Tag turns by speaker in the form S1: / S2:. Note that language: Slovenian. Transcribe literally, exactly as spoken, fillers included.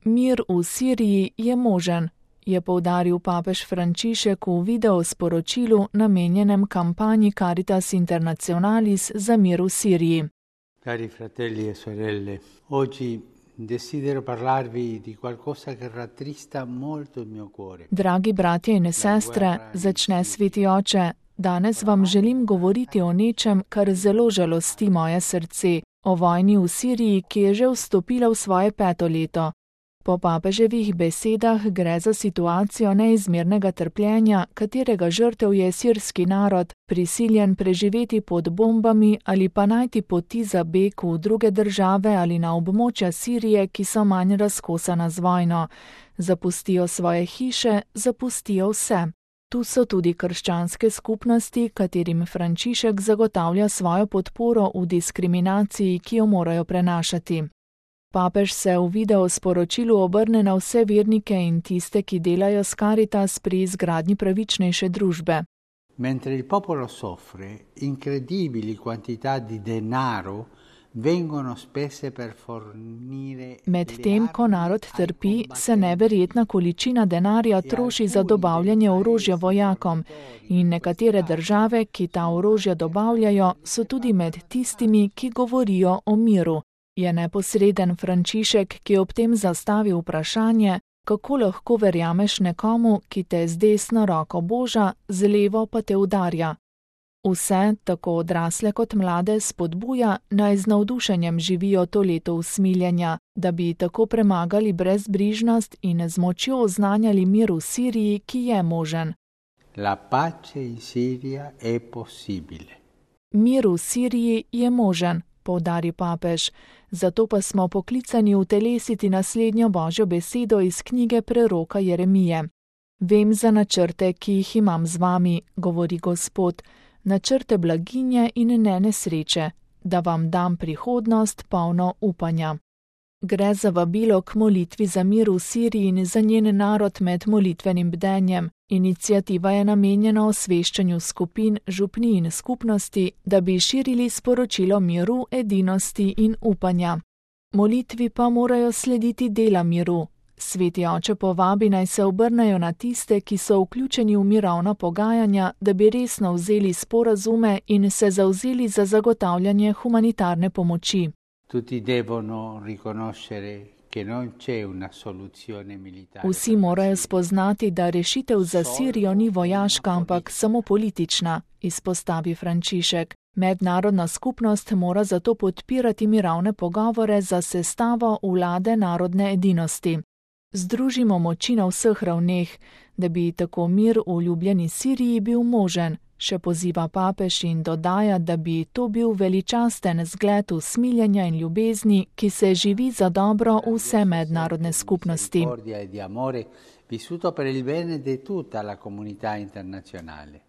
S1: Mir v Siriji je možen, je poudaril papež Frančišek v videosporočilu namenjenem kampanji Caritas Internationalis za mir v Siriji.
S2: Cari fratelli e sorelle, oggi desidero parlarvi di qualcosa che rattrista molto il mio cuore.
S1: Dragi bratje in sestre, začne sveti oče, danes vam želim govoriti o nečem, kar zelo žalosti moje srce, o vojni v Siriji, ki je že vstopila v svoje peto leto. Po papeževih besedah gre za situacijo neizmernega trpljenja, katerega žrtev je sirski narod, prisiljen preživeti pod bombami ali pa najti poti za beg v druge države ali na območja Sirije, ki so manj razkosana z vojno. Zapustijo svoje hiše, zapustijo vse. Tu so tudi krščanske skupnosti, katerim Frančišek zagotavlja svojo podporo v diskriminaciji, ki jo morajo prenašati. Papež se v videosporočilu obrne na vse vernike in tiste, ki delajo s Caritas pri izgradnji pravičnejše družbe.
S2: Mentre il popolo soffre, incredibili quantità di denaro vengono spese per fornire.
S1: Medtem, ko narod trpi, se neverjetna količina denarja troši za dobavljanje orožja vojakom in nekatere države, ki ta orožja dobavljajo, so tudi med tistimi, ki govorijo o miru. Je neposreden Frančišek, ki ob tem zastavi vprašanje, kako lahko verjameš nekomu, ki te z desno roko boža, z levo pa te udarja. Vse, tako odrasle kot mlade, spodbuja, naj z navdušenjem živijo to leto usmiljenja, da bi tako premagali brezbrižnost in z močjo oznanjali mir v Siriji, ki je možen.
S2: La pace in Siria è possibile.
S1: Mir v Siriji je možen, poudari papež, zato pa smo poklicani utelesiti naslednjo božjo besedo iz knjige preroka Jeremije. Vem za načrte, ki jih imam z vami, govori Gospod, načrte blaginje in ne nesreče, da vam dam prihodnost polno upanja. Gre za vabilo k molitvi za mir v Siriji in za njen narod med molitvenim bdenjem. Iniciativa je namenjena osveščanju skupin, župni in skupnosti, da bi širili sporočilo miru, edinosti in upanja. Molitvi pa morajo slediti dela miru. Sveti oče povabi naj se obrnejo na tiste, ki so vključeni v mirovna pogajanja, da bi resno vzeli sporazume in se zavzeli za zagotavljanje humanitarne pomoči.
S2: Tutti devono riconoscere che non c'è una soluzione militare.
S1: Vsi morajo spoznati, da rešitev za Sirijo ni vojaška, ampak samo politična, izpostavi Frančišek. Mednarodna skupnost mora zato podpirati mirovne pogovore za sestavo vlade narodne edinosti. Združimo moči na vseh ravneh, da bi tako mir v ljubljeni Siriji bil možen, še poziva papež in dodaja, da bi to bil veličasten zgled usmiljenja in ljubezni, ki se živi za dobro vse mednarodne skupnosti.
S2: Vissuto per il bene di tutta la comunità internazionale.